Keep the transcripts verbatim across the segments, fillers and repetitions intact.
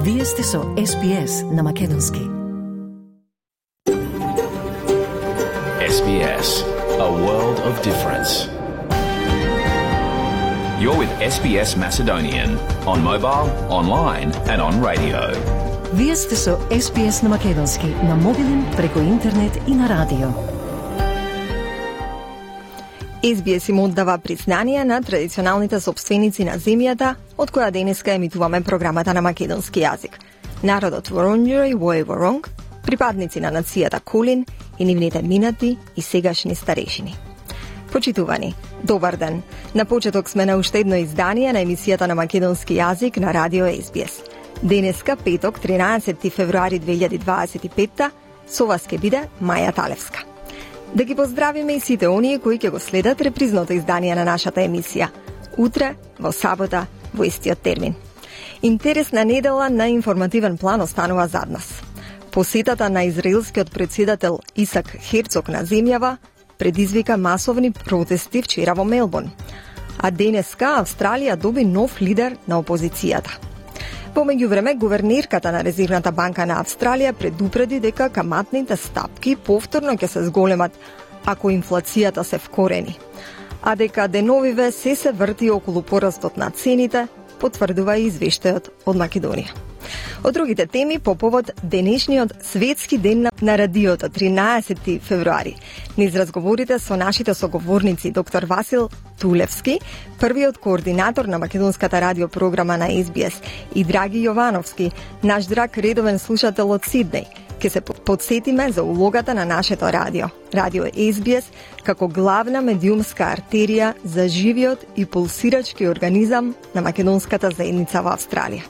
Вие сте со Ес Би Ес на македонски. Ес Би Ес, a world of difference. You're with Ес Би Ес Macedonian on mobile, online and on radio. Вие сте со Ес Би Ес на македонски, на мобилен, преку интернет и на радио. Ес Би Ес им оддава признание на традиционалните собственици на земјата, од која денеска емитуваме програмата на македонски јазик. Народот Воронџери Вој Воронг, припадници на нацијата Кулин и нивните минати и сегашни старешини. Почитувани, добар ден. На почеток сме на уште едно издание на емисијата на македонски јазик на радио Ес Би Ес. Денеска, петок, тринаесети февруари две илјади дваесет и петта, со вас ќе биде Маја Талевска. Да ги поздравиме и сите оние кои ќе го следат репризното издание на нашата емисија. Утре, во сабота, во истиот термин. Интересна недела на информативен план останува зад нас. Посетата на израелскиот председател Исак Херцог на земјава предизвика масовни протести вчера во Мелбурн. А денеска Австралија доби нов лидер на опозицијата. Во меѓувреме, гувернерката на Резервната банка на Австралија предупреди дека каматните стапки повторно ќе се зголемат ако инфлацијата се вкорени, а дека деновиве се се врти околу порастот на цените, потврдува и извештајот од Македонија. Од другите теми, по повод денешниот светски ден на радиото, тринаесети февруари, низ разговорите со нашите соговорници доктор Васил Тулевски, првиот координатор на македонската радиопрограма на Ес Би Ес, и Драги Јовановски, наш драг редовен слушател од Сиднеј, ќе се подсетиме за улогата на нашето радио, радио Ес Би Ес, како главна медиумска артерија за живиот и пулсирачки организам на македонската заедница во Австралија.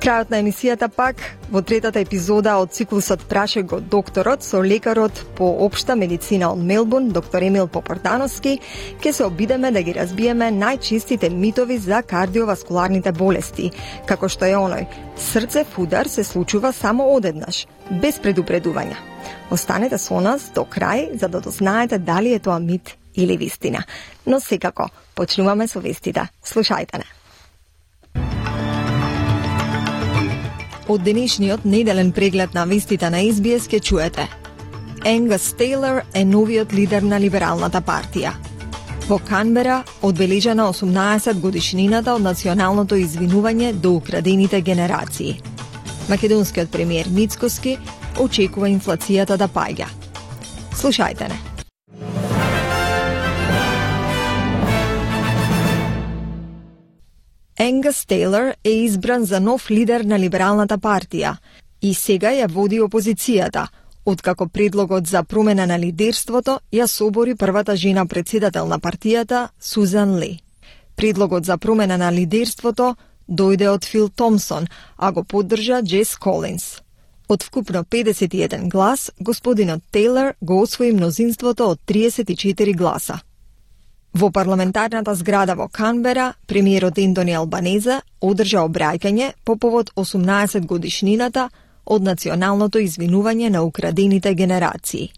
Крајот на емисијата пак, во третата епизода од циклусот Праше го докторот со лекарот по општа медицина од Мелбурн, доктор Емил Попордановски, ќе се обидеме да ги разбиеме најчестите митови за кардиоваскуларните болести, како што е оној: срцев удар се случува само одеднаш, без предупредување. Останете со нас до крај за да дознаете дали е тоа мит или вистина. Но секако, почнуваме со вестите. Слушајте не. Од денешниот неделен преглед на вестите на Ес Би Ес ке чуете: Енгас Тейлор е новиот лидер на Либералната партија. Во Канбера одбележана осумнаесет годишнината од националното извинување до украдените генерации. Македонскиот премиер Мицкоски очекува инфлацијата да паѓа. Слушајте не. Енгас Тейлор е избран за нов лидер на Либералната партија и сега ја води опозицијата, откако предлогот за промена на лидерството ја собори првата жена председател на партијата, Сузан Ли. Предлогот за промена на лидерството дојде од Фил Томсон, а го поддржа Джес Колинс. Од вкупно педесет и еден глас, господинот Тейлор го освои мнозинството од триесет и четири гласа. Во парламентарната зграда во Канбера, премиерот Ентони Албанезе одржа обраќање по повод осумнаесет годишнината од националното извинување на украдените генерации.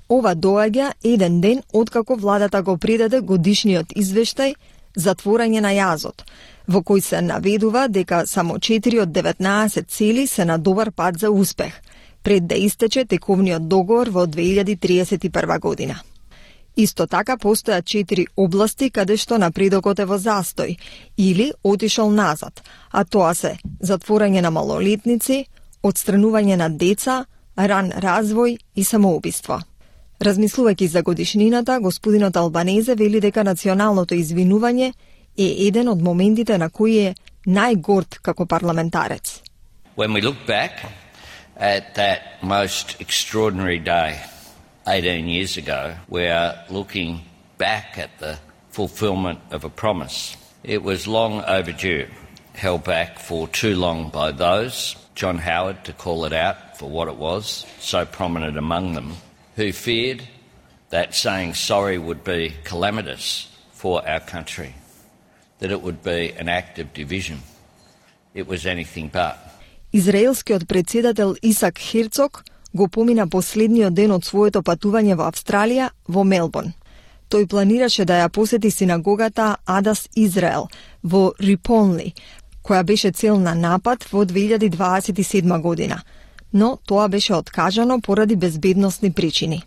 Ова доаѓа еден ден откако владата го предаде годишниот извештај Затворање на јазот, во кој се наведува дека само четири од деветнаесет цели се на добар пат за успех, пред да истече тековниот договор во две илјади триесет и прва година. Исто така постојат четири области каде што напредокот е во застој или отишол назад, а тоа се затворање на малолетници, отстранување на деца, ран развој и самоубиство. Размислувајќи за годишнината, господинот Албанезе вели дека националното извинување е еден од моментите на кои е најгорд како парламентарец. When we look back at that most extraordinary day eighteen years ago, we are looking back at the fulfilment of a promise. It was long overdue, held back for too long by those, John Howard to call it out for what it was, so prominent among them, who feared that saying sorry would be calamitous for our country, that it would be an act of division. It was anything but. Израелскиот председател Исак Херцог го помина последниот ден од своето патување во Австралија во Мелбурн. Тој планираше да ја посети синагогата Адас Израел во Риполни, која беше цел на напад во две илјади дваесет и седма година, но тоа беше откажано поради безбедносни причини.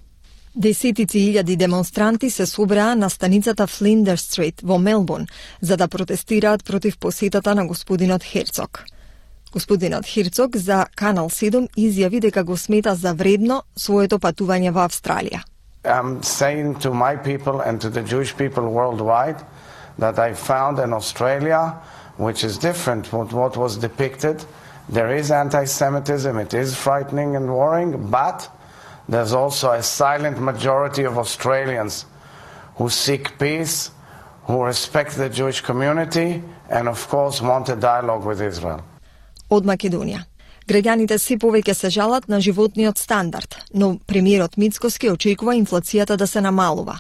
Десетици илјади демонстранти се собраа на станицата Флиндерс Стрит во Мелбурн за да протестираат против посетата на господинот Херцог. Господинот Херцог за Канал седум изјави дека го смета за вредно своето патување во Австралија. I'm saying to my people and to the Jewish people worldwide that I found an Australia which is different from what was depicted. There is anti-Semitism, it is frightening and worrying, but there's also a silent majority of Australians who seek peace, who respect the Jewish community, and of course want a dialogue with Israel. Од Македонија. Граѓаните се повеќе се жалат на животниот стандард, но премиерот Мицкоски очекува инфлацијата да се намалува.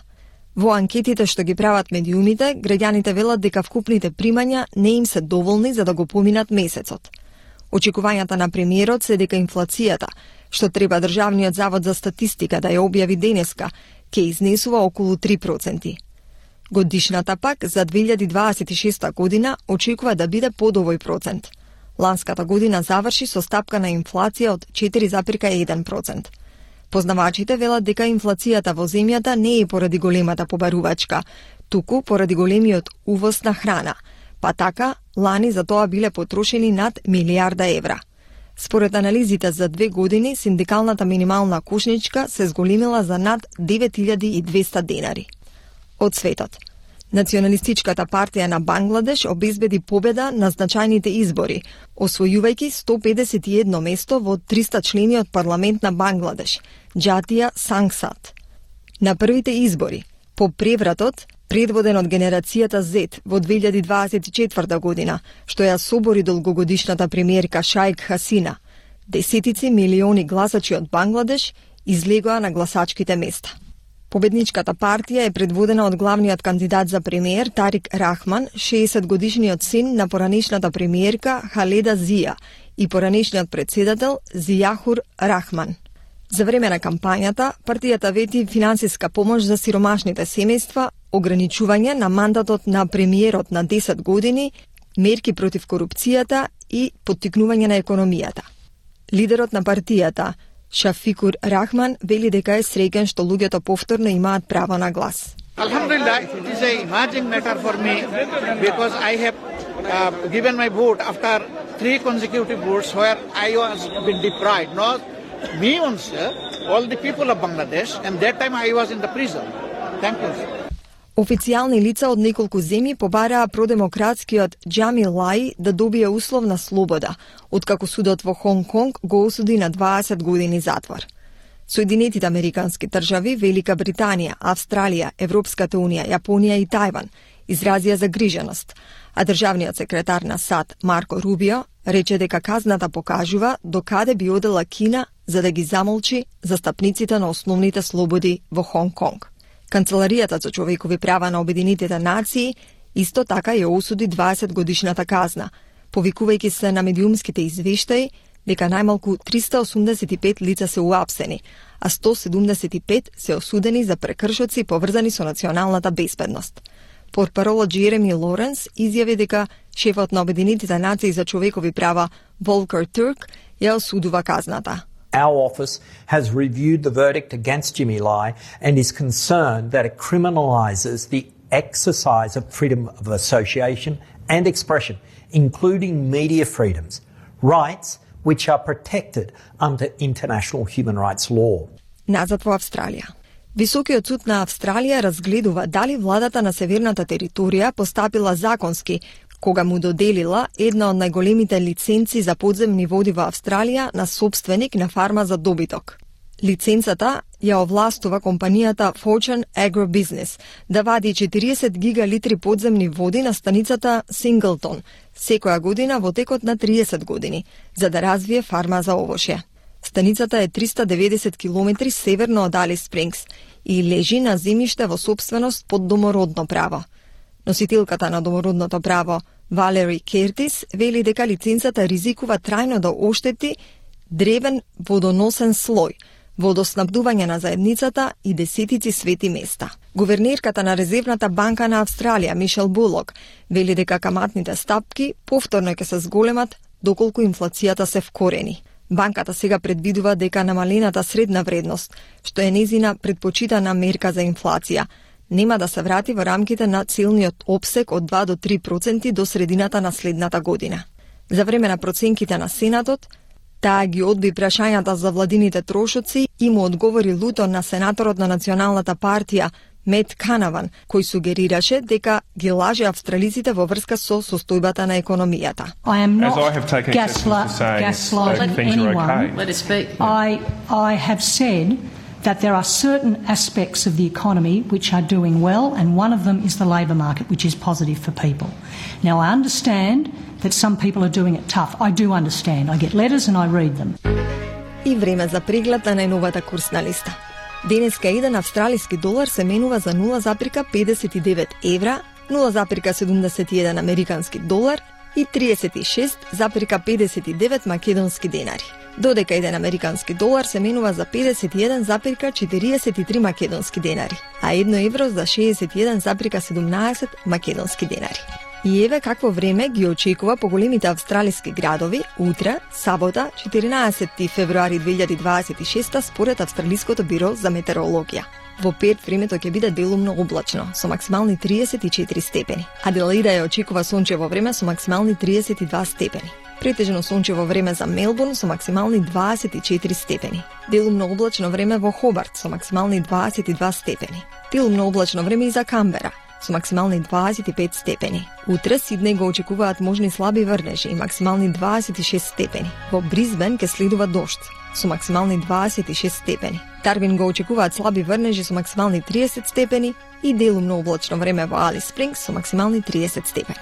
Во анкетите што ги прават медиумите, граѓаните велат дека вкупните примања не им се доволни за да го поминат месецот. Очекувањата на премиерот се дека инфлацијата, што треба Државниот завод за статистика да ја објави денеска, ќе изнесува околу три проценти. Годишната пак за две илјади дваесет и шеста година очекува да биде под овој процент. Ланската година заврши со стапка на инфлација од четири запирка еден процент. Познавачите велат дека инфлацијата во земјата не е поради големата побарувачка, туку поради големиот увоз на храна, па така лани за тоа биле потрошени над милијарда евра. Според анализите за две години, синдикалната минимална кошничка се зголемила за над девет илјади и двесте денари. Од светот. Националистичката партија на Бангладеш обезбеди победа на значајните избори, освојувајќи сто педесет и едно место во триста члениот парламент на Бангладеш, Џатија Сангсад. На првите избори, по превратот, предводен од генерацијата Z во две илјади дваесет и четврта година, што ја собори долгогодишната премиерка Шаик Хасина, десетици милиони гласачи од Бангладеш излегоа на гласачките места. Победничката партија е предводена од главниот кандидат за премиер Тарик Рахман, шеесет годишниот син на поранешната премиерка Халеда Зија и поранешниот председател Зијахур Рахман. За време на кампањата, партијата вети финансиска помош за сиромашните семејства, ограничување на мандатот на премиерот на десет години, мерки против корупцијата и поттикнување на економијата. Лидерот на партијата, Шафикур Рахман, вели дека е среќен што луѓето повторно имаат право на глас. Alhamdulillah, it is a emerging matter for me because I have uh, given my vote after three consecutive votes where I was been deprived. Not me only, all the people of Bangladesh, and that time I was in the prison. Thank you. Официјални лица од неколку земји побараа продемократскиот Џамил Лај да добие условна слобода, откако судот во Хонг Конг го осуди на дваесет години затвор. Соединетите американски држави, Велика Британија, Австралија, Европската унија, Јапонија и Тајван изразија загриженост, а државниот секретар на САД Марко Рубио рече дека казната покажува докаде би одела Кина за да ги замолчи застапниците на основните слободи во Хонг Конг. Канцеларијата за човекови права на Обединетите нации исто така ја осуди дваесет годишната казна, повикувајќи се на медиумските извештаи дека најмалку триста осумдесет и пет лица се уапсени, а сто седумдесет и пет се осудени за прекршоци поврзани со националната безбедност. Портпаролот Джереми Лоренс изјави дека шефот на Обединетите нации за човекови права Волкер Турк ја осудува казната. Our office has reviewed the verdict against Jimmy Lai and is concerned that it criminalises the exercise of freedom of association and expression, including media freedoms, rights which are protected under international human rights law. Назад во Австралија. Високиот суд на Австралија разгледува дали владата на северната територија постапила законски кога му доделила една од најголемите лиценци за подземни води во Австралија на собственик на фарма за добиток. Лиценцата ја овластува компанијата Fortune Agribusiness да вади четириесет гигалитри подземни води на станицата Синглтон секоја година во текот на триесет години, за да развие фарма за овошје. Станицата е триста деветдесет километри северно од Алис Спрингс и лежи на земјиште во собственост под домородно право. Носителката на домородното право, Валери Кертис, вели дека лиценцата ризикува трајно да оштети древен водоносен слој, водоснабдување на заедницата и десетици свети места. Гувернерката на Резервната банка на Австралија, Мишел Булок, вели дека каматните стапки повторно ќе се зголемат доколку инфлацијата се вкорени. Банката сега предвидува дека намалената средна вредност, што е незина предпочитана мерка за инфлација, нема да се врати во рамките на целниот опсек од два до три проценти до средината на следната година. За време на проценките на Сенатот, таа ги одби прашањата за владините трошоци и му одговори луто на сенаторот на Националната партија Мет Канаван, кој сугерираше дека ги лаже австралиците во врска со состојбата на економијата. I am not gaslighting anyone. Let us speak. I, I have said that there are certain aspects of the economy which are doing well, and one of them is the labour market, which is positive for people. Now, I understand that some people are doing it tough. I do understand. I get letters and I read them. И време за преглед на најновата курсна листа. Денеска еден австралиски долар се менува за нула запирка педесет и девет евра, нула запирка седумдесет и еден американски долар и триесет и шест запирка педесет и девет македонски денари. Додека еден американски долар се менува за педесет и еден запирка четириесет и три македонски денари, а едно евро за шеесет и еден запирка седумнаесет македонски денари. И еве какво време ги очекува по големите австралиски градови утре, сабота, четиринаесети февруари две илјади дваесет и шеста, според Австралиското биро за метеорологија. Во Перт времето ќе биде делумно облачно, со максимални триесет и четири степени. Аделаида ја очекува сончево време со максимални триесет и два степени. Претежно сончево време за Мелбурн со максимални дваесет и четири степени. Делумно облачно време во Хобарт со максимални дваесет и два степени. Делумно облачно време и за Камбера со максимални дваесет и пет степени. Утре Сиднеј го очекуваат можни слаби врнежи и максимални дваесет и шест степени. Во Брисбен ќе следува дожд со максимални дваесет и шест степени. Дарвин го очекуваат слаби врнежи со максимални триесет степени и делумно облачно време во Алис Спрингс со максимални триесет степени.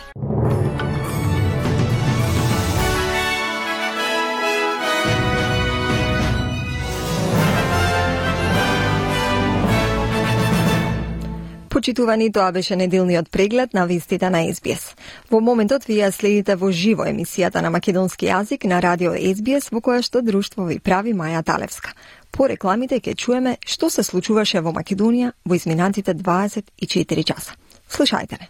Почитувани, тоа беше неделниот преглед на вестите на Ес Би Ес. Во моментот вие следите во живо емисијата на македонски јазик на радио Ес Би Ес, во која што друштво ви прави Маја Талевска. По рекламите ќе чуеме што се случуваше во Македонија во изминатите дваесет и четири часа. Слушајте не.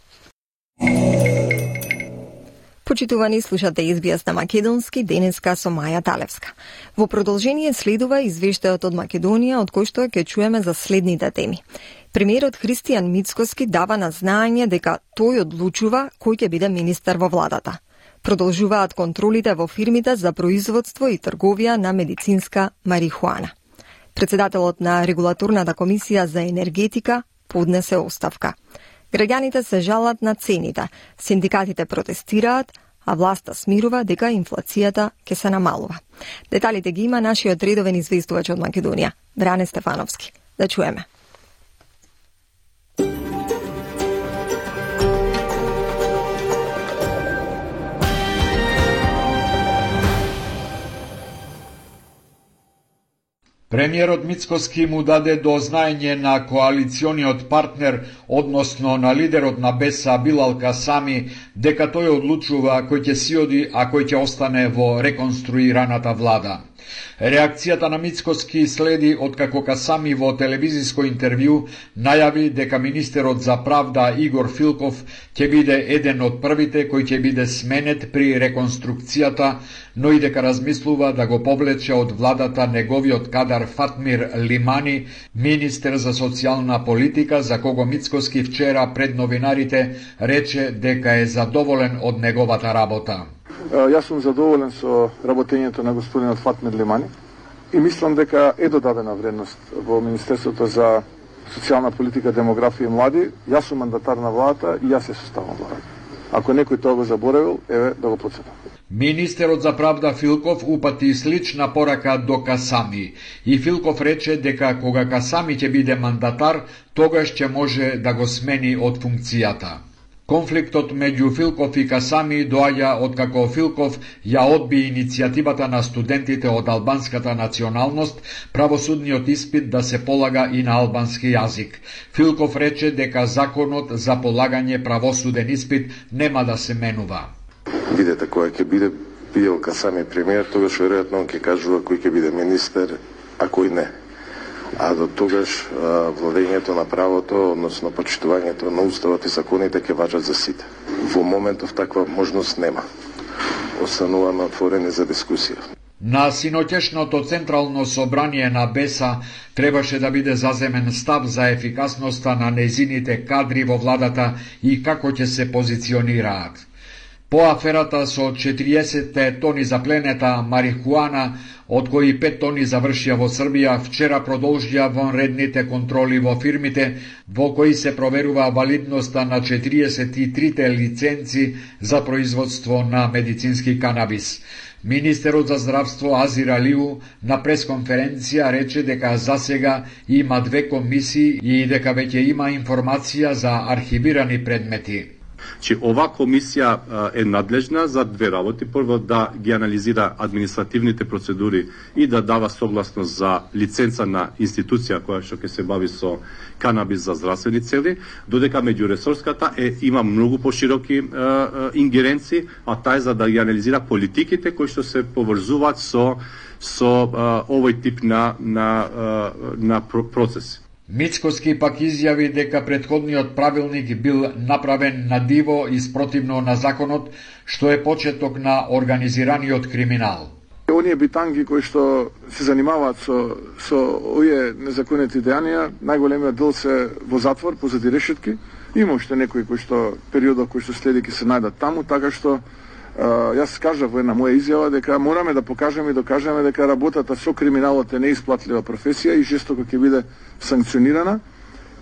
Почитувани, слушате Ес Би Ес на македонски, денеска со Маја Талевска. Во продолжение следува извештајот од Македонија, од кој што ќе чуеме за следните теми. Премиерот Христијан Мицкоски дава на знаење дека тој одлучува кој ќе биде министер во владата. Продолжуваат контролите во фирмите за производство и трговија на медицинска марихуана. Председателот на Регулаторната комисија за енергетика поднесе оставка. Граѓаните се жалат на цените, синдикатите протестираат, а власта смирува дека инфлацијата ќе се намалува. Деталите ги има нашиот редовен известувач од Македонија, Бране Стефановски. Да чуеме. Премиерот Мицкоски му даде до знаење на коалициониот партнер, односно на лидерот на Беса Билал Касами, дека тој одлучува кој ќе си оди, а кој ќе остане во реконструираната влада. Реакцијата на Мицкоски следи откако Касами во телевизиско интервју најави дека министерот за правда Игор Филков ќе биде еден од првите кој ќе биде сменет при реконструкцијата, но и дека размислува да го повлече од владата неговиот кадар Фатмир Лимани, министер за социјална политика, за кого Мицкоски вчера пред новинарите рече дека е задоволен од неговата работа. Јас сум задоволен со работењето на господинот Фатмир Лимани и мислам дека е додадена вредност во Министерството за социјална политика, демографија и млади. Јас сум мандатар на владата и јас се составам владата. Ако некој тоа го заборавил, еве да го потсетам. Министерот за правда Филков упати слична порака до Касами и Филков рече дека кога Касами ќе биде мандатар, тогаш ќе може да го смени од функцијата. Конфликтот меѓу Филков и Касами доаѓа откако Филков ја одби иницијативата на студентите од албанската националност правосудниот испит да се полага и на албански јазик. Филков рече дека законот за полагање правосуден испит нема да се менува. Видете кој ќе биде бидел Касами премиер, тогаш веројатно он ќе кажува кој ќе биде министер, а кој не. а до тогаш владењето на правото, односно почитувањето на уставот и законите ќе важат за сите. Во моментов таква можност нема. Остануваме отворени за дискусија. На синоќешното Централно собрание на БЕСА требаше да биде заземен став за ефикасноста на незините кадри во владата и како ќе се позиционираат. По аферата со четириесет тони запленета марихуана, од кои пет тони завршија во Србија, вчера продолжија вонредните контроли во фирмите, во кои се проверува валидноста на четириесет и трите лиценци за производство на медицински канабис. Министерот за здравство Азир Алиу на пресконференција рече дека засега има две комисии и дека веќе има информација за архивирани предмети. Че ова комисија е надлежна за две работи. Прво да ги анализира административните процедури и да дава согласност за лиценца на институција која што ќе се бави со канабис за здравствени цели, додека меѓуресорската е има многу пошироки е, е, ингеренции, а таа е за да ги анализира политиките кои што се поврзуваат со со е, овој тип на на е, на процеси. Мицкоски пак изјави дека претходниот правилник бил направен на диво и спротивно на законот, што е почеток на организираниот криминал. Оние битанги кои што се занимаваат со со овие незаконити дејанија, најголемиот дел се во затвор позади решетки. Има уште некои кои што периодот кои што следи ќе се најдат таму, така што Uh, јас кажав во една моја изјава дека мораме да покажеме и докажеме дека работата со криминалот е неисплатлива професија и жестоко ќе биде санкционирана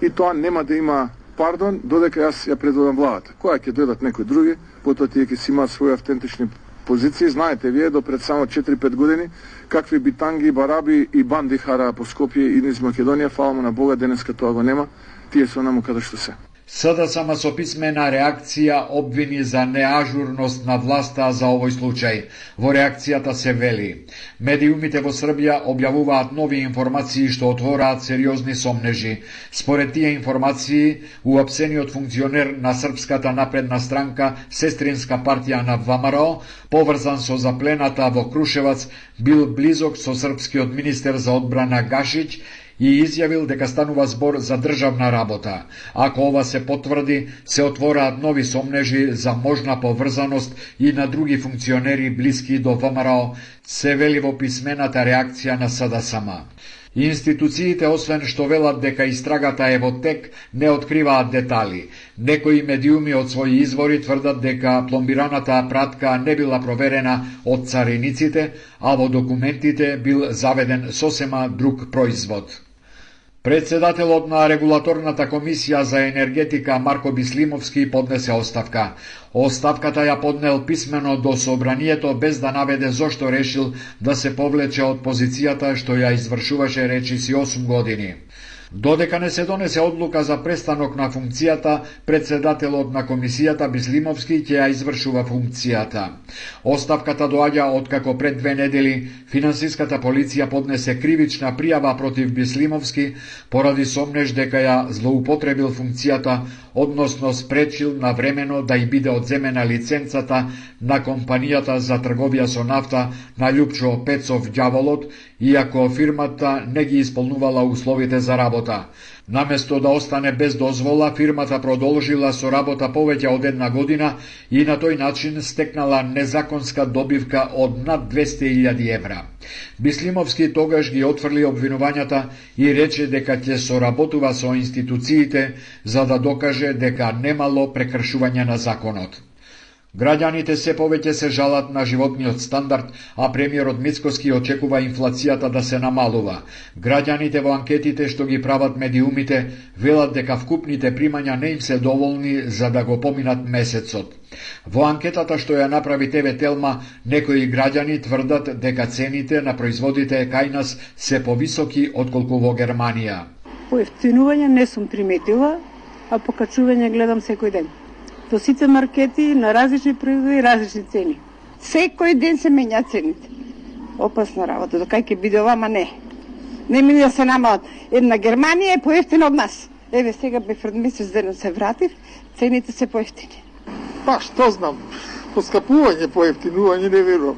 и тоа нема да има пардон додека јас ја предводам владата. Која ќе дојдат некои други, потоа тие ќе си имаат своји автентични позиции. Знаете вие до пред само четири-пет години какви битанги, бараби и банди хараа по Скопје и низ Македонија, фала му на Бога, денеска тоа го нема. Тие се онаму каде што се. СДСМ со писмена реакција обвини за неажурност на власта за овој случај. Во реакцијата се вели: медиумите во Србија објавуваат нови информации што отвораат сериозни сомнежи. Според тие информации, уапсениот функционер на Српската напредна странка, сестринска партија на ВМРО, поврзан со заплената во Крушевац, бил близок со српскиот министер за одбрана Гашич и изјавил дека станува збор за државна работа. Ако ова се потврди, се отвораат нови сомнежи за можна поврзаност и на други функционери блиски до ВМРО, се вели во писмената реакција на СДСМ. Институциите, освен што велат дека истрагата е во тек, не откриваат детали. Некои медиуми од своји извори тврдат дека пломбираната пратка не била проверена од цариниците, а во документите бил заведен сосема друг производ. Председателот на Регулаторната комисија за енергетика Марко Бислимовски поднесе оставка. Оставката ја поднел писмено до собранието без да наведе зошто решил да се повлече од позицијата што ја извршуваше речиси осум години. Додека не се донесе одлука за престанок на функцијата, председателот на комисијата Бислимовски ќе ја извршува функцијата. Оставката доаѓа откако пред две недели финансиската полиција поднесе кривична пријава против Бислимовски поради сомнеж дека ја злоупотребил функцијата, односно спречил навремено да и биде одземена лиценцата на компанијата за трговија со нафта на Љупчо Пецов Ѓаволот, иако фирмата не ги исполнувала условите за работа. Наместо да остане без дозвола, фирмата продолжила со работа повеќе од една година и на тој начин стекнала незаконска добивка од над двесте илјади евра. Бислимовски тогаш ги отфрли обвинувањата и рече дека ќе соработува со институциите за да докаже дека немало прекршување на законот. Граѓаните се повеќе се жалат на животниот стандард, а премиерот Мицкоски очекува инфлацијата да се намалува. Граѓаните во анкетите што ги прават медиумите велат дека вкупните примања не им се доволни за да го поминат месецот. Во анкетата што ја направи Те Ве Телма, некои граѓани тврдат дека цените на производите кај нас се повисоки отколку во Германија. Поевтинување не сум приметила, а покачување гледам секој ден. Во сите маркети на различни производи и различни цени. Секој ден се менјаат цените. Опасна работа, до кај ќе биде ова, ама не. Не ми да се намалат. Една Германија е поевтина од нас. Еве сега бе пред месец ден се вратив, цените се поевтини. Па што знам, поскапување, поевтинување не верувам.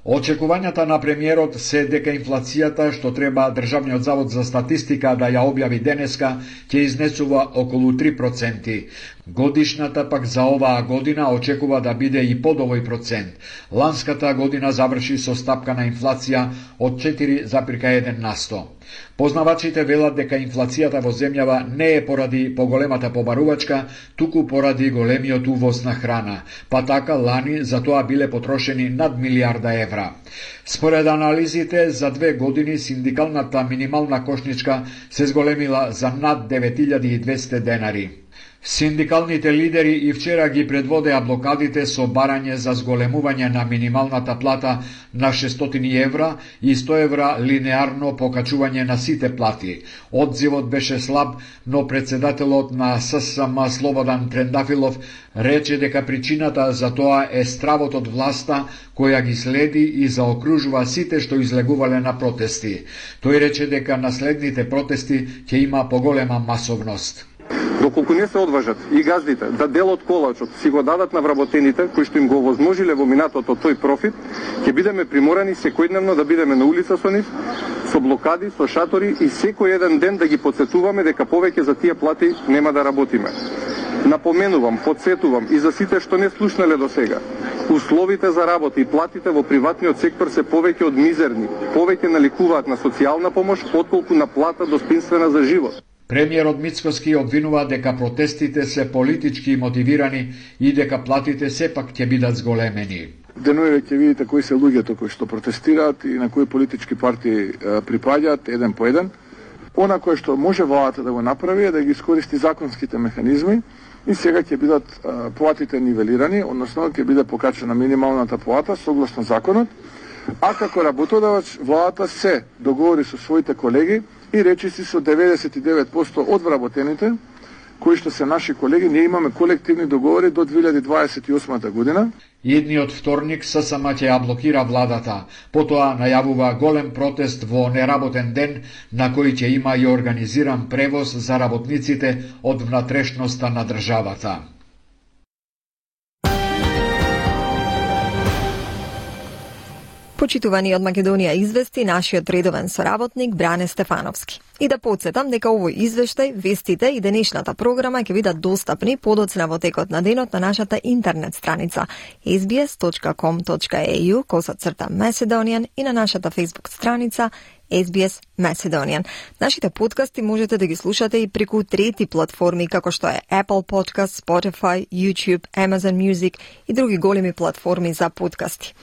Очекувањата на премиерот се дека инфлацијата, што треба Државниот завод за статистика да ја објави денеска, ќе изнесува околу три проценти. Годишната пак за оваа година очекува да биде и под овој процент. Ланската година заврши со стапка на инфлација од четири запирка еден на сто. Познавачите велат дека инфлацијата во земјава не е поради поголемата побарувачка, туку поради големиот увоз на храна, па така лани за тоа биле потрошени над милиарда евра. Според анализите, за две години синдикалната минимална кошничка се зголемила за над девет илјади и двесте денари. Синдикалните лидери и вчера ги предводеа блокадите со барање за зголемување на минималната плата на шестстотини евра и сто евра линеарно покачување на сите плати. Одзивот беше слаб, но председателот на ССМ Слободан Трендафилов рече дека причината за тоа е стравот од власта која ги следи и заокружува сите што излегувале на протести. Тој рече дека на следните протести ќе има поголема масовност. Доколку не се одважат и газдите да дел од колачот си го дадат на вработените, кои што им го возможиле во минатото тој профит, ќе бидеме приморани секојдневно да бидеме на улица со нив, со блокади, со шатори и секој еден ден да ги потсетуваме дека повеќе за тие плати нема да работиме. Напоменувам, потсетувам и за сите што не слушнале до сега. Условите за работа и платите во приватниот сектор се повеќе од мизерни, повеќе наликуваат на социјална помош отколку на плата достоинствена за живот. Премиерот Мицкоски обвинува дека протестите се политички мотивирани и дека платите сепак ќе бидат зголемени. Деноеве ќе видите кои се луѓето кои што протестираат и на кои политички партии припаѓаат еден по еден. Она кое што може владата да го направи е да ги искористи законските механизми и сега ќе бидат а, платите нивелирани, односно ќе биде покачена минималната плата согласно законот, а како работодавач владата се договори со своите колеги и речиси со деветдесет и девет проценти од вработените, кои што се наши колеги, ние имаме колективни договори до две илјади дваесет и осма година. Идниот вторник ССМ ќе ја блокира владата, потоа најавува голем протест во неработен ден, на кој ќе има и организиран превоз за работниците од внатрешноста на државата. Почитувани од Македонија извести нашиот редовен соработник Бране Стефановски. И да подсетам дека овој извештај, вестите и денешната програма ќе бидат достапни подоцна во текот на денот на нашата интернет страница ес би ес точка ком точка е ю косацрта Macedonian и на нашата Facebook страница ес би ес Macedonian. Нашите подкасти можете да ги слушате и преку трети платформи како што е Apple Podcast, Spotify, YouTube, Amazon Music и други големи платформи за подкасти.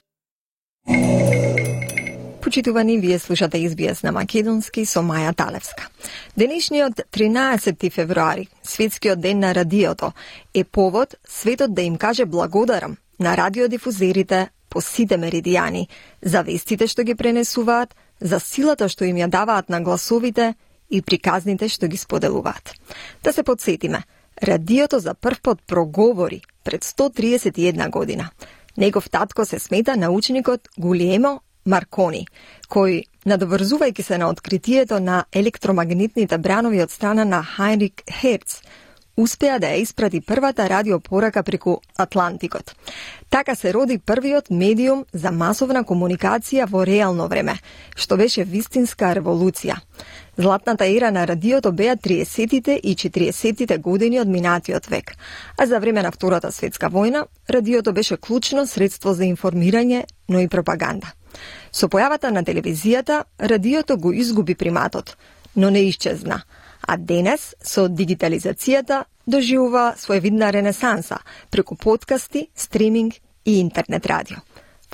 Почитувани, вие слушате ес би ес на македонски со Маја Талевска. Денешниот тринаесети февруари, светскиот ден на радиото, е повод светот да им каже благодарам на радиодифузерите по сите меридијани, за вестите што ги пренесуваат, за силата што им ја даваат на гласовите и приказните што ги споделуваат. Да се подсетиме, радиото за прв пат проговори пред сто триесет и една година. Негов татко се смета научникот Гулиемо Маркони, кој, надоврзувајќи се на откритието на електромагнетните бранови од страна на Хайнрих Херц, успеа да ја испрати првата радиопорака преку Атлантикот. Така се роди првиот медиум за масовна комуникација во реално време, што беше вистинска револуција. Златната ера на радиото беа триесеттите и четириесеттите години од минатиот век, а за време на Втората светска војна радиото беше клучно средство за информирање, но и пропаганда. Со појавата на телевизијата, радиото го изгуби приматот, но не исчезна, а денес, со дигитализацијата, доживува своевидна ренесанса преку подкасти, стриминг и интернет радио.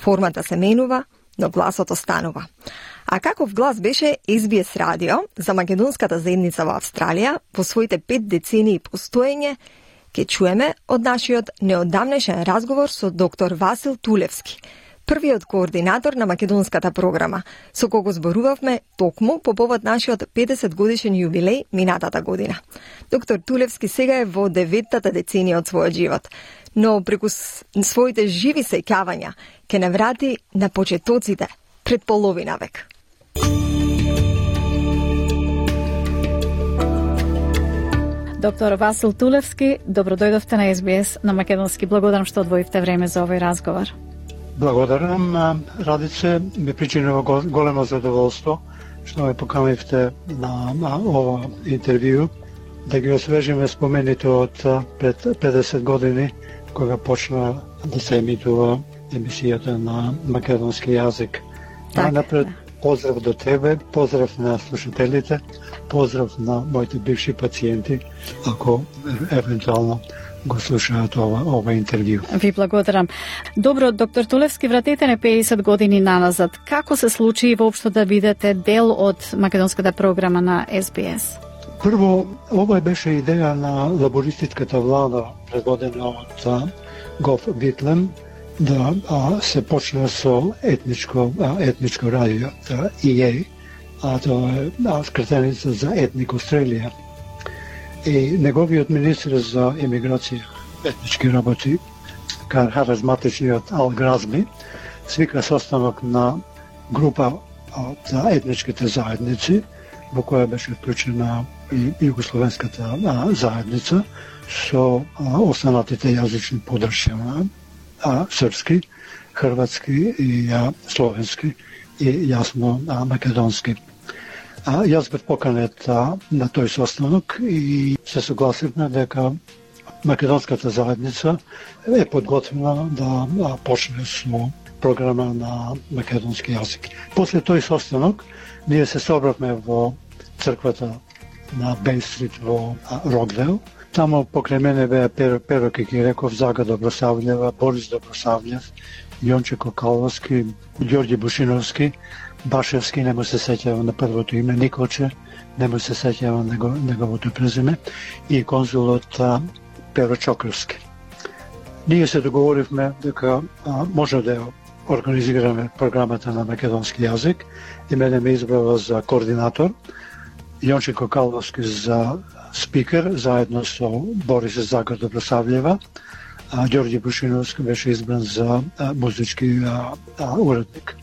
Формата се менува, но гласот останува. А каков глас беше ес би ес радио за македонската заедница во Австралија во своите пет децении постоење, ќе чуеме од нашиот неодамнешен разговор со доктор Васил Тулевски, првиот координатор на македонската програма, со кого зборувавме токму по повод нашиот педесет годишен јубилеј минатата година. Доктор Тулевски сега е во деветата деценија од својот живот, но преку своите живи сеќавања ќе не врати на почетоците пред половина век. Доктор Васил Тулевски, добро дојдовте на ес би ес на македонски. Благодарам што одвоивте време за овој разговор. Благодарам, Радице, ми причинува големо задоволство што ме поканивте на, на ова интервју, да ги освежиме спомените од пред педесет години, кога почна да се емитува емисијата на македонски јазик. Најнапред, поздрав до тебе, поздрав на слушателите, поздрав на моите бивши пациенти, ако евентуално го слушаат ова, ова интервју. Ви благодарам. Добро, доктор Тулевски, вратете не педесет години наназад. Како се случи воопшто да бидете дел од македонската програма на Ес Би Ес? Прво, ова беше идеја на лабористичката влада, предводена од Гов Витлем, да а, се почне со етничко, а, етничко радио, И Ей, а тоа е а, скратеница за Етник Австралија. И неговиот министр за емиграција, етнички работи, харизматичниот Ал Гразби, свика состанок на група од етничките заедници, во која беше вклучена и југословенската заедница, со а, останатите јазични подршја, а, српски, хрватски и а, словенски и јасно а, македонски. А, јас бев поканет а, на тој состанок и се согласивме дека македонската заедница е подготвена да а, почне со програма на македонски јазик. После тој состанок ние се собравме во црквата на Бейн Стрит во Рокдейл. Тамо покрај мене беа Перо, Перо Кикиреков, Зага Добросављева, Борис Добросављев, Јонче Кокаловски, Ѓорѓи Бушиновски, Башевски, не му се сеќава на првото име, Николче, не му се сеќава него, неговото презиме, и конзулот а, Перо Чокровски. Ние се договоривме дека а, може да организираме програмата на македонски јазик и мене ме избрава за координатор, Јонче Кокаловски за спикер, заедно со Борис Зага Добросављева, а Ѓорѓи Бушиновски беше избран за а, музички а, а, уредник.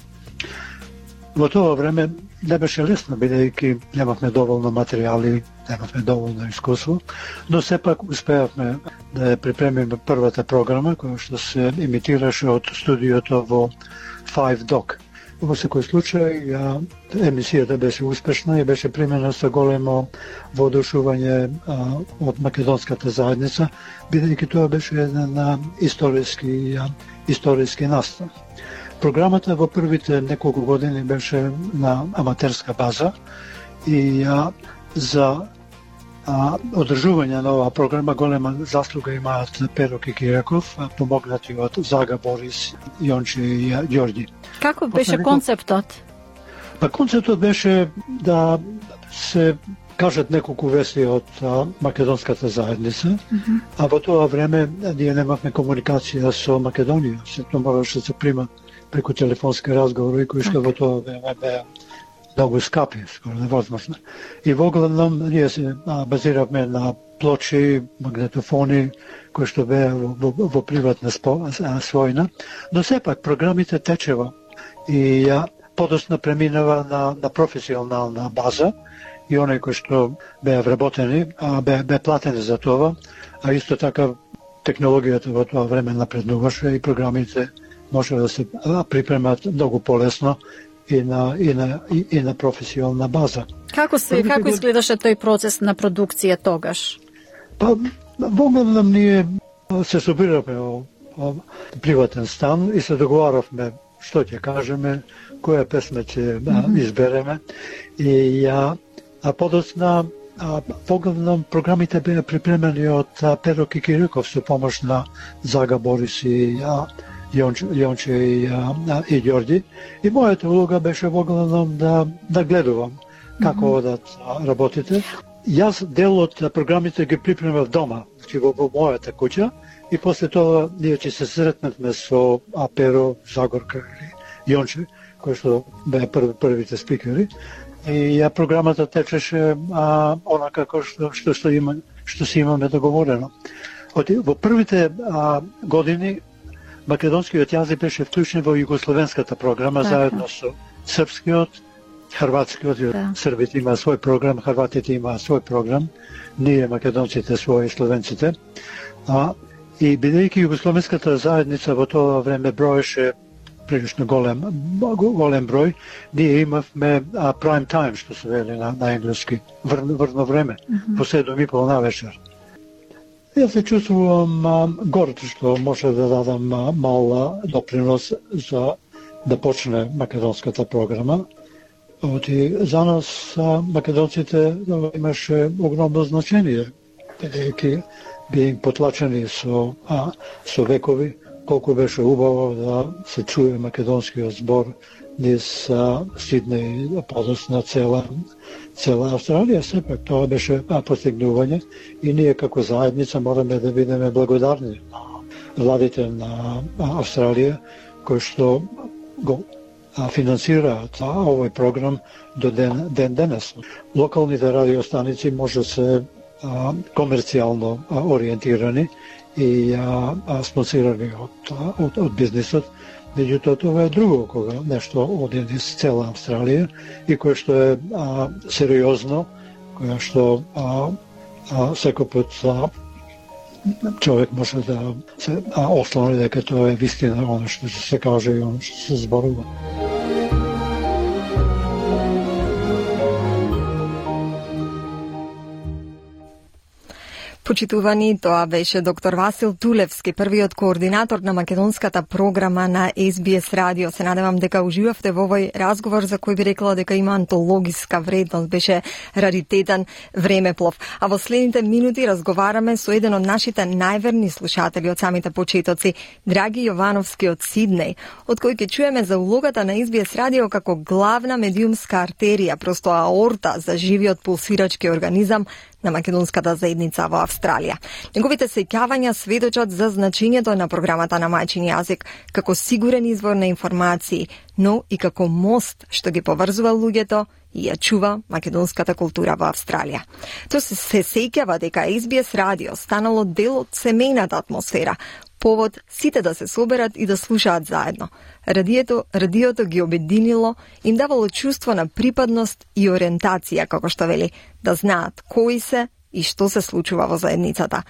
Во тоа време не беше лесно, бидејќи немавме доволно материјали, немавме доволно искуство, но сепак успеавме да ја припремиме првата програма, која што се емитираше од студиото во Five Dock. Во секој случај, емисијата беше успешна и беше примена со големо воодушување од македонската заедница, бидејќи тоа беше еден историски, историски настан. Програмата во првите неколку години беше на аматерска база и а, за а, одржување на оваа програма голема заслуга имаат Перо Кикиреков, помогнати од Зага, Борис, Јонче и Ѓорѓи. Како беше концептот? Па концептот беше да се кажат неколку вести од а, македонската заедница, mm-hmm. а во тоа време ние немавме комуникација со Македонија, се тоа мораше да се прима преку телефонски разговори, кои што во тоа време беа многу скапи, скоро невозможно. И во главном ние се а, базиравме на плочи, магнетофони, кои што беа во, во, во приватна својна, но сепак програмите течева и ја подоцна преминава на, на професионална база и оние кои што беа вработени, а беа, беа платени за тоа, а исто така технологијата во тоа време напреднуваше и програмите може да се припремат многу полесно и на и на и, и на професионална база. Како се како изгледаше тој процес на продукција тогаш? Па во главном ние се собиравме во, во приватен стан и се договаравме што ќе кажеме, која песма ќе mm-hmm. избереме и ја а подоцна а, во главном програмите беа припремени од Перо Кикиреков со помош на Зага, Борис и а, Јонче, Јонче и, а, и Ѓорѓи. И мојата улога беше во главном да, да гледувам како mm-hmm. одат работите. Јас дел од програмите ги припремав дома, значи во, во мојата куќа, и после тоа ние ќе се сретнавме со Перо, Загорка или Јонче, кои што беа прв, првите спикери. И ја програмата течеше а, онака како што, што, што, има, што си имаме договорено. Од, во првите а, години македонскиот јазик беше вклучен во југословенската програма, така. Заедно со српскиот, хрватскиот, да. Србите има свој програм, хрватите има свој програм, ние македонците своји, словенците. А, и бидејќи југословенската заедница во тоа време броеше прилично голем, голем број, ние имавме а, prime time, што се вели на, на енглески, вр, врно време, mm-hmm. по седум и пол на вечер. Јас се чувствувам а, горд што може да дадам а, мал допринос за да почне македонската програма. Оти, за нас а, македонците имаше огромно значение, бидејќи би потлачени со, а, со векови, колку беше убаво да се чуе македонскиот збор низ Сиднеј, подоцна цела, цела Австралија. Сепак тоа беше постигнување и ние како заедница мораме да бидеме благодарни на владите на Австралија кои што го финансираат овој програм до ден, ден денес. Локалните радиостаници може се а, комерцијално а, ориентирани и а, а, спонсирани од, од, од бизнисот. Меѓутоа, това е друго, кога нешто оди низ цела Австралија и кое што е а, сериозно, кое што а, а, секој пат а, човек може да се а, ослони дека тоа е вистина, оно што се каже и оно што се зборува. Почитувани, тоа беше доктор Васил Тулевски, првиот координатор на македонската програма на Ес Би Ес Радио. Се надевам дека уживавте во овој разговор за кој би рекла дека има антологиска вредност, беше раритетен времеплов. А во следните минути разговараме со еден од нашите најверни слушатели од самите почетоци, Драги Јовановски од Сиднеј, од кој ќе чуеме за улогата на Ес Би Ес Радио како главна медиумска артерија, просто аорта за живиот пулсирачки организам на македонската заедница во Австралија. Неговите сеќавања сведочат за значењето на програмата на мајчин јазик како сигурен извор на информации, но и како мост што ги поврзува луѓето и ја чува македонската култура во Австралија. Тоа се, се сеќава дека Ес Би Ес Радио станало дел од семејната атмосфера, повод сите да се соберат и да слушаат заедно. Радиото, радиото ги обединило, им давало чувство на припадност и ориентација, како што вели, да знаат кои се и што се случува во заедницата.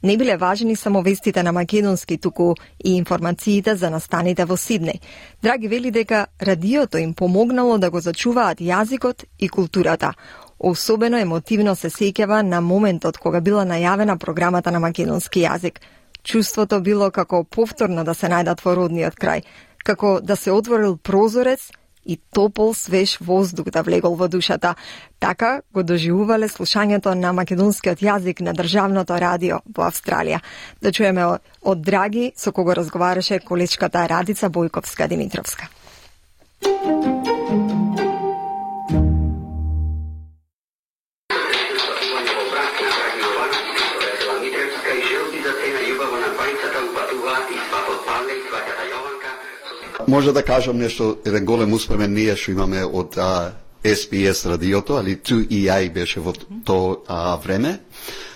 Не биле важни само вестите на македонски, туку и информациите за настаните во Сиднеј. Драги вели дека радиото им помогнало да го зачуваат јазикот и културата. Особено емотивно се сеќава на моментот кога била најавена програмата на македонски јазик. Чувството било како повторно да се најдат во родниот крај, како да се отворил прозорец и топол, свеж воздух да влегол во душата. Така го доживувале слушањето на македонскиот јазик на државното радио во Австралија. Да чуеме од Драги, со кого разговараше колечката Радица Бојковска-Димитровска. Може да кажам нешто, еден голем успемен ние што имаме од а, Ес Би Ес радиото, али Ту И Ај беше во тоа време,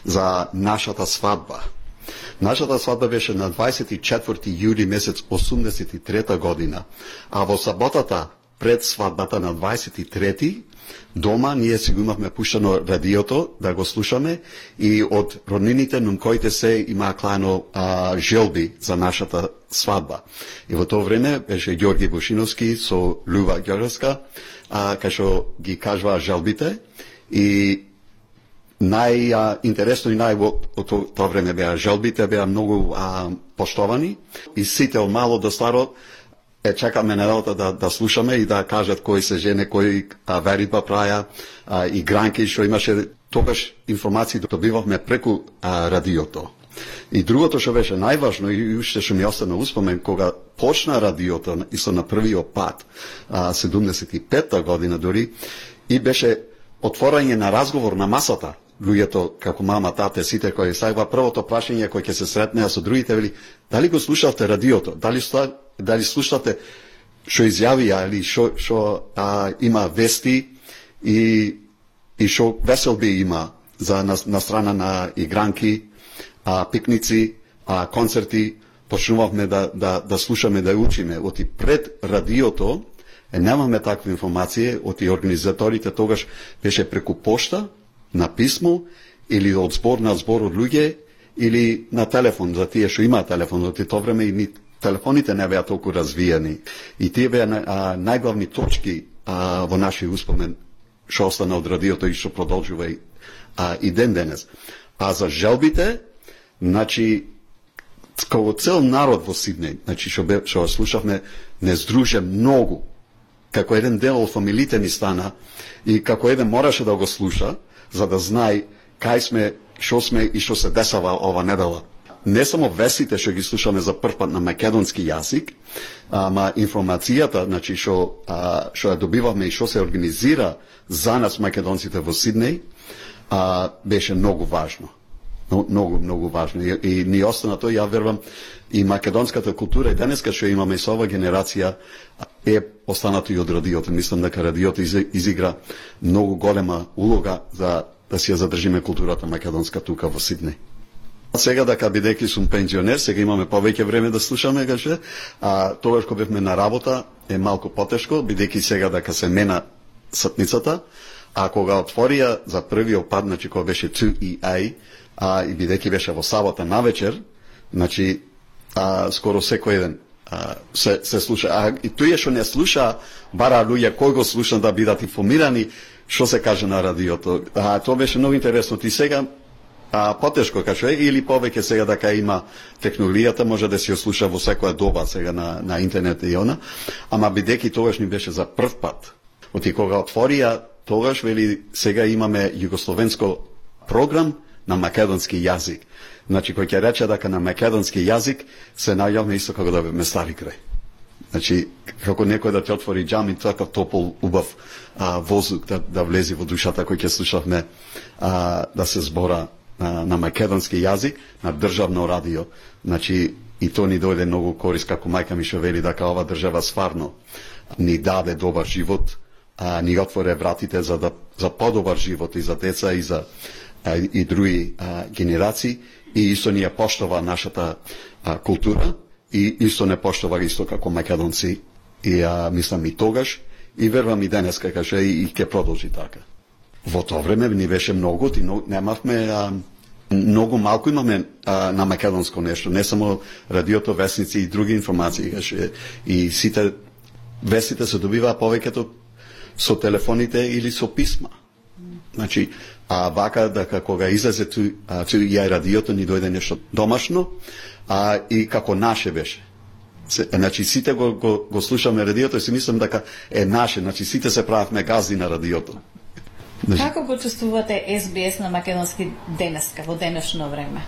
за нашата свадба. Нашата свадба беше на дваесет и четврти јули месец осумдесет и трета година, а во саботата пред свадбата на дваесет и трети дома ние си го имавме пуштено радиото да го слушаме и од роднините нум коите се има клано а, желби за нашата свадба. И во тоа време беше Ѓорги Бушиновски со Люба Ѓоревска, а, кај што ги кажува желбите и најинтересно и нај од тоа време беа желбите, беа многу а, поштовани и сите од мало до старо е чекаме неделата да, да слушаме и да кажат кои се жене, кои а, веритба праја, а, и гранки што имаше, тогаш информации добивавме преку а, радиото. И другото што беше најважно и уште што ми остана успомен, кога почна радиото и со на првиот пат, а, седумдесет и петта година дори, и беше отворање на разговор на масата, луѓето како мама, тате, сите кои сајва првото прашање кој ќе се сретнеа со другите вели, дали го слушавте радиото, дали дали слушате што изјавија или што што има вести и и што веселби има за на, на страна на игранки, а, пикници, а, концерти, почнувавме да да да слушаме, да учиме. Оти пред радиото е, немаме таква информација, оти организаторите тогаш беше преку пошта, на писмо или од збор на збор од луѓе или на телефон за тие што има телефон. Оти тоа време и ми телефоните не беа толку развиени и тие беа најглавни точки а, во нашиот успомен што остана од радиото и што продолжува и, а, и ден денес. А за желбите, значи, како цел народ во Сиднеј, значи, што, бе, што слушавме, не здруже многу. Како еден дел од фамилите ни стана и како еден мораше да го слуша, за да знае кај сме, што сме и што се десава ова недела. Не само вестите што ги слушаме за прв пат на македонски јазик, ама информацијата, значи што што ја добивавме и што се организира за нас македонците во Сиднеј, а, беше многу важно. Многу, многу важно. И, и ни остана тоа, ја верувам, и македонската култура и денеска што имаме со ова генерација е останато и од радиото. Мислам дека радиото изигра многу голема улога за да си ја задржиме културата македонска тука во Сиднеј. Сега дека бидејќи сум пензионер, сега имаме повеќе време да слушаме, каже, а тогаш кога бевме на работа е малку потешко, бидејќи сега дека се мена сатницата, а кога отворија за првиот пат, значи кога беше two E A, а и бидејќи беше во сабота навечер, значи а, скоро секој ден а, се, се слуша. А и тој што не слуша, бара луѓе кој го слуша да бидат информирани што се каже на радиото. А тоа беше многу интересно. Ти сега а, потешко каже, или повеќе сега дека има технологијата, може да се ја слуша во секоја доба сега на, на интернет и она, ама бидејќи тогаш ни беше за прв пат. Оти кога отворија, тогаш вели сега имаме југословенско програм на македонски јазик. Значи, кој ќе рече дека на македонски јазик се најавме исто како да беме стари крај. Значи, како некој да ти отвори џами, такав топол, убав а, воздух да, да влези во душата кој ќе слушавме а, да се збора а, на македонски јазик, на државно радио. Значи, и то ни дојде многу корис, како мајка ми што вели дека ова држава стварно ни даде добар живот, а, ни отворе вратите за, да, за подобар живот и за деца и за а, и други а, генерации, и исто ни ја поштова нашата а, култура, и исто не поштова исто како македонци, и а, мислам и тогаш, и верувам и денес каже и, и ќе продолжи така. Во тоа време ни беше многу, и немавме а, многу малку имаме а, на македонско нешто, не само радиото, вестници и други информации, каже, и сите вестите се добиваа повеќето со телефоните или со писма. Значи, а вака дека кога излезе ту, а, ту ја радиото ни дојде нешто домашно, а и како наше беше. Се, значи сите го, го, го слушаме радиото и си мислам дека е наше, значи сите се правевме газди на радиото. Значи, како почувствувате Ес Би Ес на македонски денеска, во денешно време?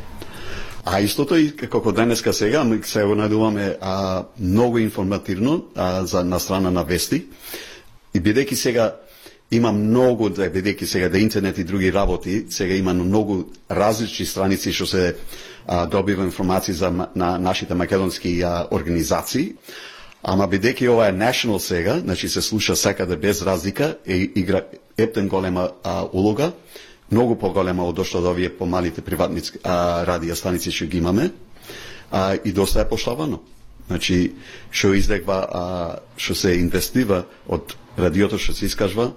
А истото и како денеска сега, ми се го најдуваме а, многу информативно а, за на страна на вести, и бидејќи сега има многу, бидејќи сега да интернет и други работи, сега има многу различни страници што се а, добива информации за на нашите македонски а, организации, ама бидејќи ова е national сега, значи се слуша секаде без разлика, и игра ептен голема а, улога, многу поголема од што од овие помалите приватни а, радио станици што ги имаме, а, и доста е поштовано. Значи, што издегва, а, што се инвестива од радиото што се искажва,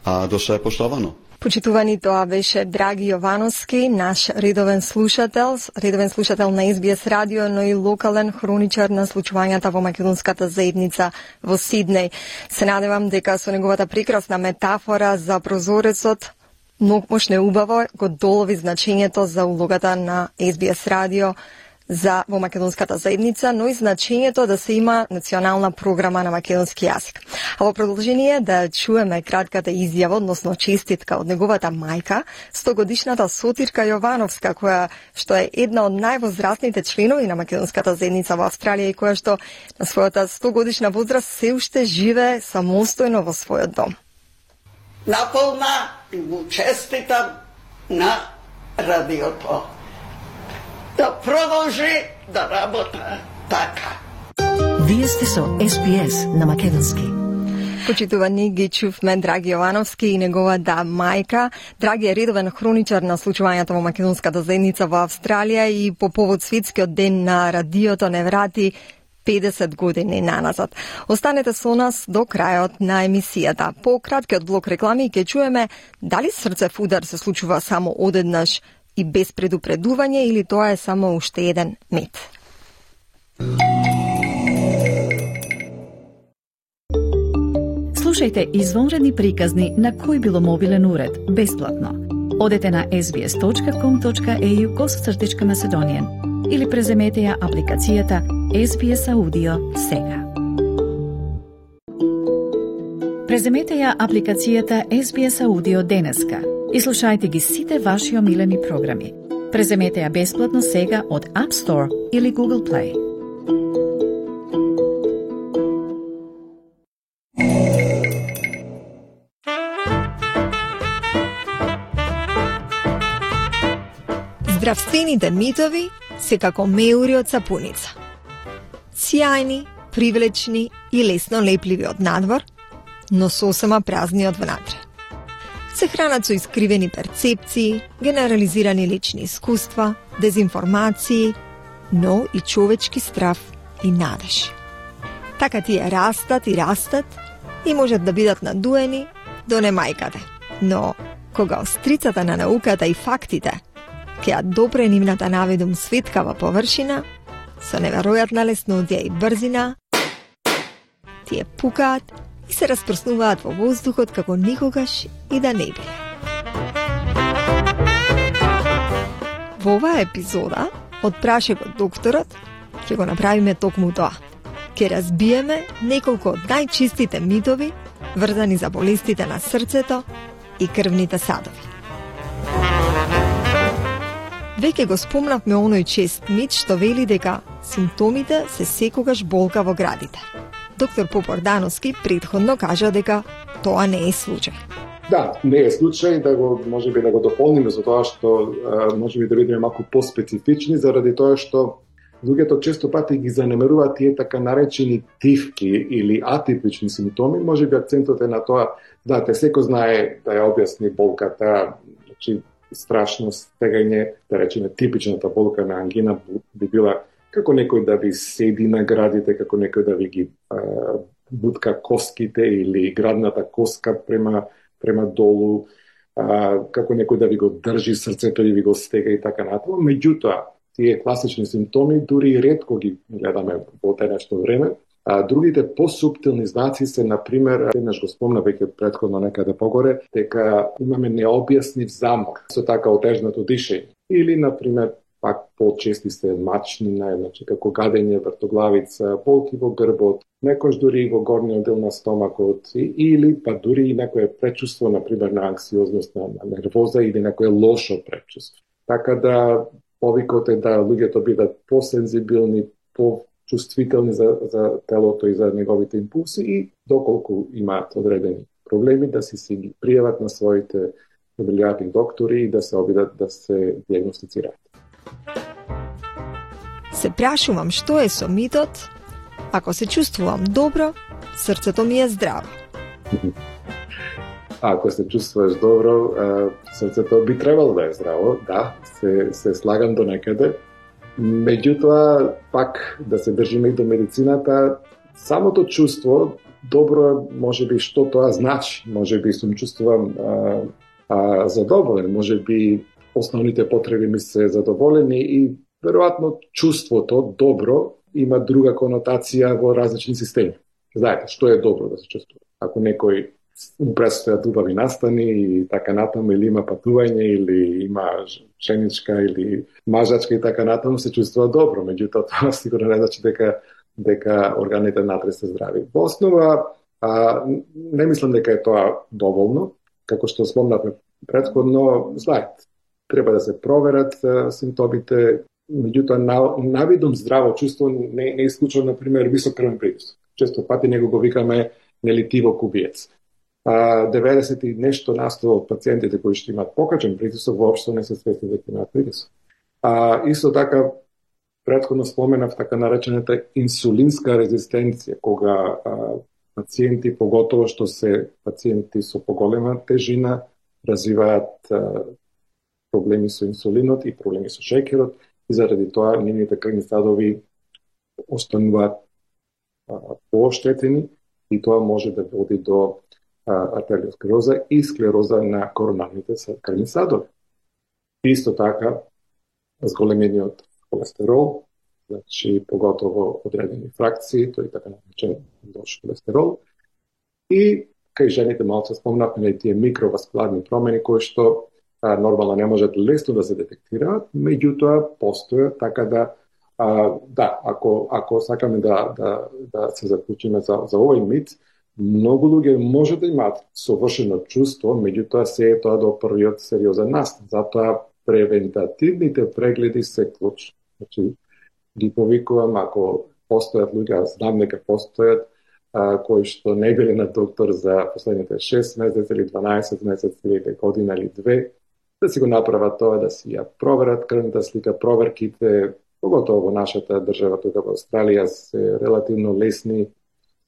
а доста е поштовано. Почитувани, тоа беше Драги Јовановски, наш редовен слушател, редовен слушател на Ес Би Ес радио, но и локален хроничар на случувањата во македонската заедница во Сиднеј. Се надевам дека со неговата прекрасна метафора за прозорецот многумошно убаво го долови значењето за улогата на Ес Би Ес радио за во македонската заедница, но и значењето да се има национална програма на македонски јазик. А во продолжение да чуеме кратката изјава, односно честитка од неговата мајка, стогодишната Сотирка Јовановска, која што е една од највозрастните членови на македонската заедница во Австралија и која што на својата стогодишна возраст се уште живее самостојно во својот дом. Наполна му честитам на радиото да продолжи да работа така. Вие сте со Ес Би Ес на македонски. Почитувани, ги чувме Драги Јовановски и неговата мајка. Драги е редовен хроничар на случувањата во македонската заедница во Австралија и по повод светскиот ден на радиото не врати педесет години наназад. Останете со нас до крајот на емисијата. По краткиот блок реклами ќе чуеме дали срцев удар се случува само одеднаш и без предупредување или тоа е само уште еден мит. Слушајте извонредни приказни на кој било мобилен уред, бесплатно. Одете на ес би ес точка ком точка е ю косацртичка Macedonian или преземете ја апликацијата ес би ес Audio сега. Преземете ја апликацијата ес би ес Audio денеска и слушајте ги сите ваши омилени програми. Преземете ја бесплатно сега од App Store или Google Play. Здравствените митови се како меури од сапуница. Сјајни, привлечни и лесно лепливи од надвор, но сосема празни од внатре. Се хранат со искривени перцепции, генерализирани лични искуства, дезинформации, но и човечки страв и надеж. Така тие растат и растат и можат да бидат надуени до немајкаде. Но кога острицата на науката и фактите ќе ја допре нивната наведум светкава површина, со неверојатна леснодија и брзина, тие пукаат и се распроснуваат во воздухот како никогаш и да не биле. Во оваа епизода од прашекот докторот ќе го направиме токму тоа. Ќе разбиеме неколку од најчистите митови врзани за болестите на срцето и крвните садови. Веќе го спомнавме оној чест мит што вели дека симптомите се секогаш болка во градите. Доктор Попордановски претходно кажа дека тоа не е случај. Да, не е случај, да го можеби да го дополниме за тоа што можеби да бидеме малку поспецифични, заради тоа што луѓето често пати ги занемеруваат тие така наречени тивки или атипични симптоми. Можеби акцентот е на тоа, да, те секој знае да ја објасни болката, значи страшно стегање, да речеме типичната болка на ангина би била како некој да ви седи на градите, како некој да ви ги а, бутка коските или градната коска према, према долу, а, како некој да ви го држи срцето и ви го стега и така натаму. Меѓутоа, тие класични симптоми дури и ретко ги гледаме во денешно време. А другите посуптилни знаци се, например, еднаш го спомна веќе претходно некаде погоре, дека имаме необјаснив замор, со така отежнато дишење. Или, например, пак почести се мачнина, значи како гадење, вртоглавица, болки во грбот, некош дури и во горниот дел на стомакот, или па дури и некое пречувство, например, на анксиозност, на, на нервоза или некое лошо пречувство. Така да повикот е да луѓето бидат посензибилни, по чувствителни за, за телото и за неговите импулси и доколку имаат одредени проблеми да си си ги пријават на своите добрилјатни доктори и да се обидат да се диагностицираат. Се прашувам што е со митот, ако се чувствувам добро, срцето ми е здраво. Ако се чувствуваш добро, срцето би требало да е здраво, да, се, се слагам до некаде. Меѓутоа, пак да се држиме и до медицината, самото чувство, добро, може би што тоа значи, може би сум чувствувам а, а, задоволен, може би основните потреби ми се задоволени и веројатно чувството добро има друга конотација во различни системи. Знаете, што е добро да се чувствува? Ако некој му предстојат убави настани и така натаму, или има патување, или има женичка или мажачка и така натаму, се чувствува добро. Меѓутоа, тоа сигурно не значи дека дека органите внатре се здрави. Во основа, а, не мислам дека е тоа доволно, како што спомнавме претходно, знаете, треба да се проверат а, симптомите, меѓутоа на, навидум здраво чувство не, не исклучува, например, висок крвен притисок. Често пати него го викаме нели тивок убиец. А, деветдесет и нешто насто од пациентите кои што имаат покачен притисок воопшто не се свесни дека имаат притисок. А, исто така, претходно споменав така наречената инсулинска резистенција, кога а, пациенти, поготово што се пациенти со поголема тежина, развиваат а, проблеми со инсулинот и проблеми со шеќерот и заради тоа нивните крвни садови остануваат пооштетени и тоа може да води до артериосклероза и склероза на коронарните крвни садови. Исто така, зголемениот холестерол, значи поготово одредени фракции, тој така наречен лош холестерол, и кај жените малку спомнавме на тие микроваскуларни промени кои што а, нормално не можат лесно да се детектираат, меѓутоа постојат, така да а, да, ако ако сакаме да да да се заклучиме за за овој мит, многу луѓе може да имаат совршено чувство, меѓутоа се е тоа до првиот сериозен настан. Затоа превентативните прегледи се клучни. Значи, ги повикувам, ако постојат луѓе, знам дека постојат, а, кои што не биле на доктор за последните шест месеци или дванаесет месеци или година или две, да си го направат тоа, да си ја проверат крвната слика, проверките, поготово во нашата држава, тука во Австралија, се релативно лесни,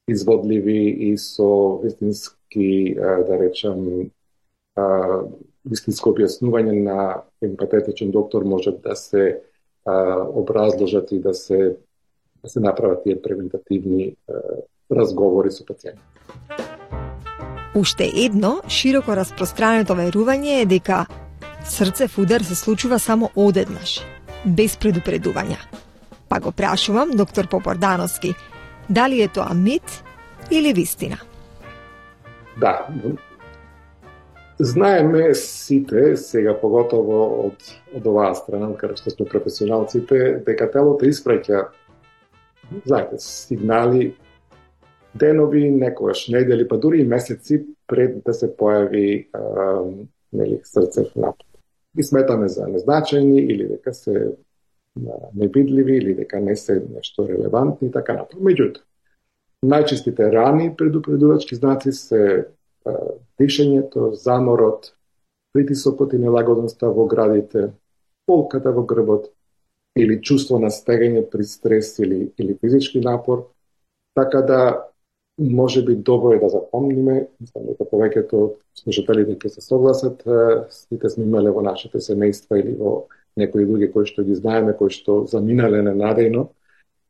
изводливи и со вистински, да речам, вистинско објаснување на емпатетичен доктор може да се образложат и да се да се направат тие превентативни разговори со пациенти. Уште едно широко распространето верување е дека срцев удар се случува само одеднаш, без предупредување. Па го прашувам доктор Попордановски, дали е тоа мит или вистина? Да. Знаеме сите, сега поготово од, од оваа страна, каде што сме професионалците, дека телото испраќа, знаете, сигнали денови, некогаш недели, па дури и месеци пред да се појави а, нели, срцев напад. Ги сметаме за незначајни или дека се невидливи или дека не се нешто релевантни и така напред. Меѓутоа, најчестите рани предупредувачки знаци се а, дишењето, заморот, притисокот и нелагодноста во градите, болката во грбот или чувство на стегање при стрес или, или физички напор. Така да може би добро е да запомниме, мислам дека повеќето од слушателите ќе се согласат, сите сме имале во нашите семејства или во некои други кои што ги знаеме, кои што заминале ненадејно,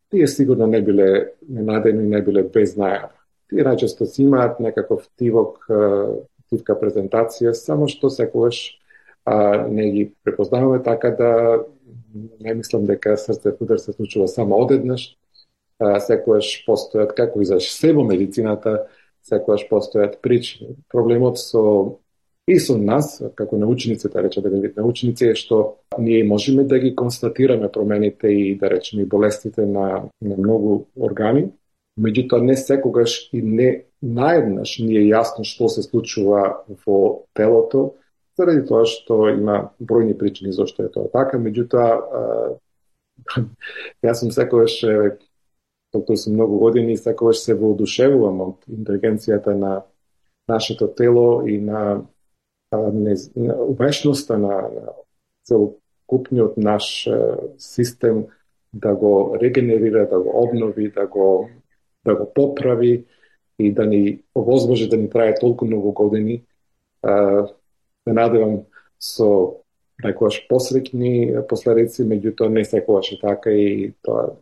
тие сигурно не биле ненадејно и не биле без најава. Тие најчесто си имаат некаков тивок, тивка презентација, само што секогаш а, не ги препознаваме, така да не мислам дека срцев удар се случува само одеднаш. А, секогаш постојат, како и за се во медицината, секогаш постојат причини. Проблемот со и со нас, како научници, да речем, да вид научници, е што ние можеме да ги констатираме промените и, да речем, и болестите на, на многу органи, меѓутоа не секогаш и не наеднаш ни е јасно што се случува во телото, заради тоа што има бројни причини зашто е тоа така, меѓутоа јас сум секогаш, доктор сум многу години, и секогаш се воодушевувам од интелигенцијата на нашето тело и на умешноста на, на целокупниот наш систем да го регенерира, да го обнови, да го, да го поправи и да ни овозможи да ни трае толку многу години. Се надевам со некогаш посреќни последици, меѓутоа не секогаш е така и тоа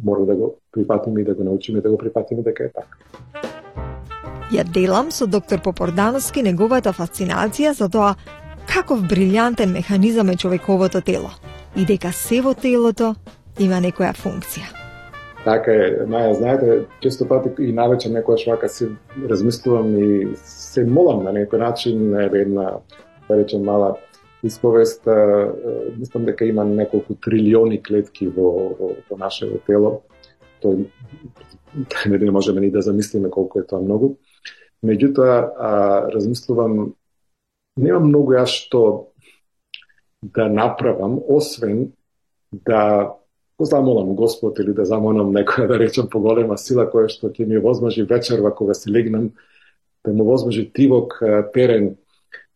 мора да го прифатиме и да го научиме да го прифатиме дека е така. Ја делам со доктор Попордановски неговата фасцинација за тоа каков брилјантен механизам е човековото тело и дека се во телото има некоја функција. Така е, Маја, знаете, често пати и навечер некојаш вака си размислувам и се молам на некој начин, еве една, да речем, мала исповест, мислам дека има неколку трилиони клетки во, во, во нашето тело. Тој не можеме ни да замислиме колку е тоа многу. Меѓутоа, размислувам, нема многу јас што да направам, освен да го замолам Господ или да замолам некоја, да речем, поголема сила која што ќе ми возможи вечерва кога се легнам, да му возможи тивок терен,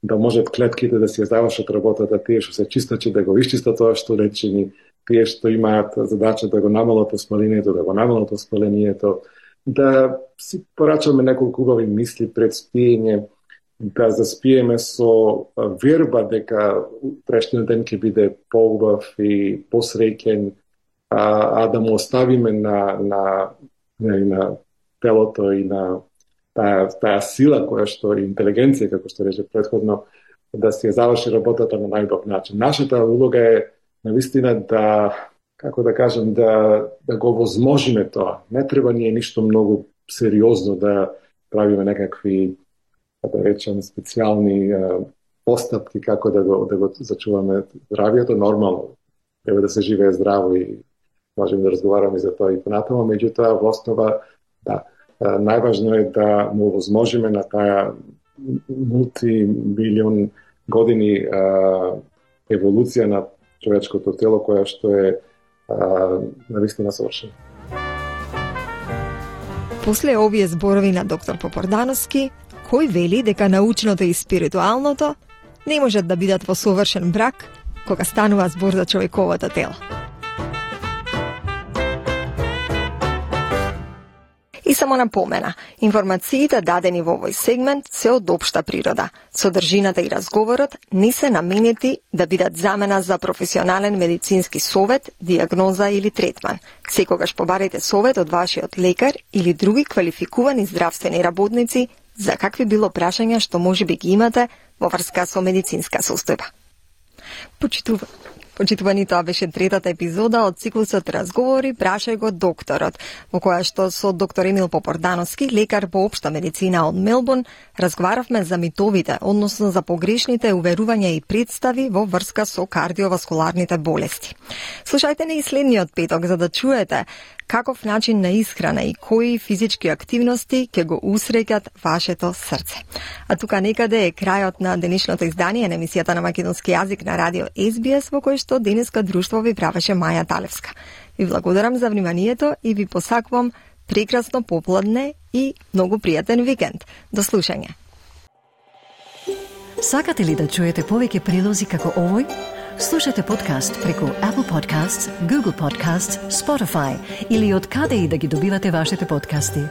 да можат клетките да си ја завршат работата, тие што се чистачи да го исчистат тоа што речени, тие што имаат задача да го намалат оспалението, да го намалат оспалението, да си порачаме неколку убави мисли пред спиење, да заспиеме со верба дека утрешниот ден ќе биде поубав и посреќен, а, а да му оставиме на, на, на, на телото и на таа, таа сила која што е интелигенција, како што рече претходно, да си ја заврши работата на најубав начин. Нашата улога е навистина да, како да кажем, да, да го возможиме тоа. Не треба ние ништо многу сериозно да, правиме некакви, да речем, специјални постапки како да го, да го зачуваме здравието. Нормално, треба да се живее здраво и можеме да разговараме за тоа и понатаму, меѓутоа во основа, да, најважно е да му возможиме на таа мултимилион години а, еволуција на човечкото тело, која што е а, навистина совршена. После овие зборови на доктор Попордановски, кој вели дека научното и спиритуалното не можат да бидат во совршен брак кога станува збор за човековото тело. И само напомена, информациите дадени во овој сегмент се од општа природа. Содржината и разговорот не се наменети да бидат замена за професионален медицински совет, диагноза или третман. Секогаш побарете совет од вашиот лекар или други квалификувани здравствени работници за какви било прашања што можеби ги имате во врска со медицинска состојба. Почитува. Почитувани, тоа беше третата епизода од циклусот Разговори, прашај го докторот, во која што со доктор Емил Попордановски, лекар по општа медицина од Мелбурн, разговаравме за митовите, односно за погрешните уверувања и представи во врска со кардиоваскуларните болести. Слушајте не и следниот петок за да чуете каков начин на исхрана и кои физички активности ќе го усреќат вашето срце. А тука некаде е крајот на денешното издание на емисијата на македонски јазик на радио Ес Би Ес, во кој што денеска друштво ви правеше Маја Талевска. Ви благодарам за вниманието и ви посакувам прекрасно попладне и многу пријатен викенд. До слушање. Сакате ли да чуете повеќе прилози како овој? Слушате подкаст преку Apple Podcasts, Google Podcasts, Spotify или од каде и да ги добивате вашите подкасти.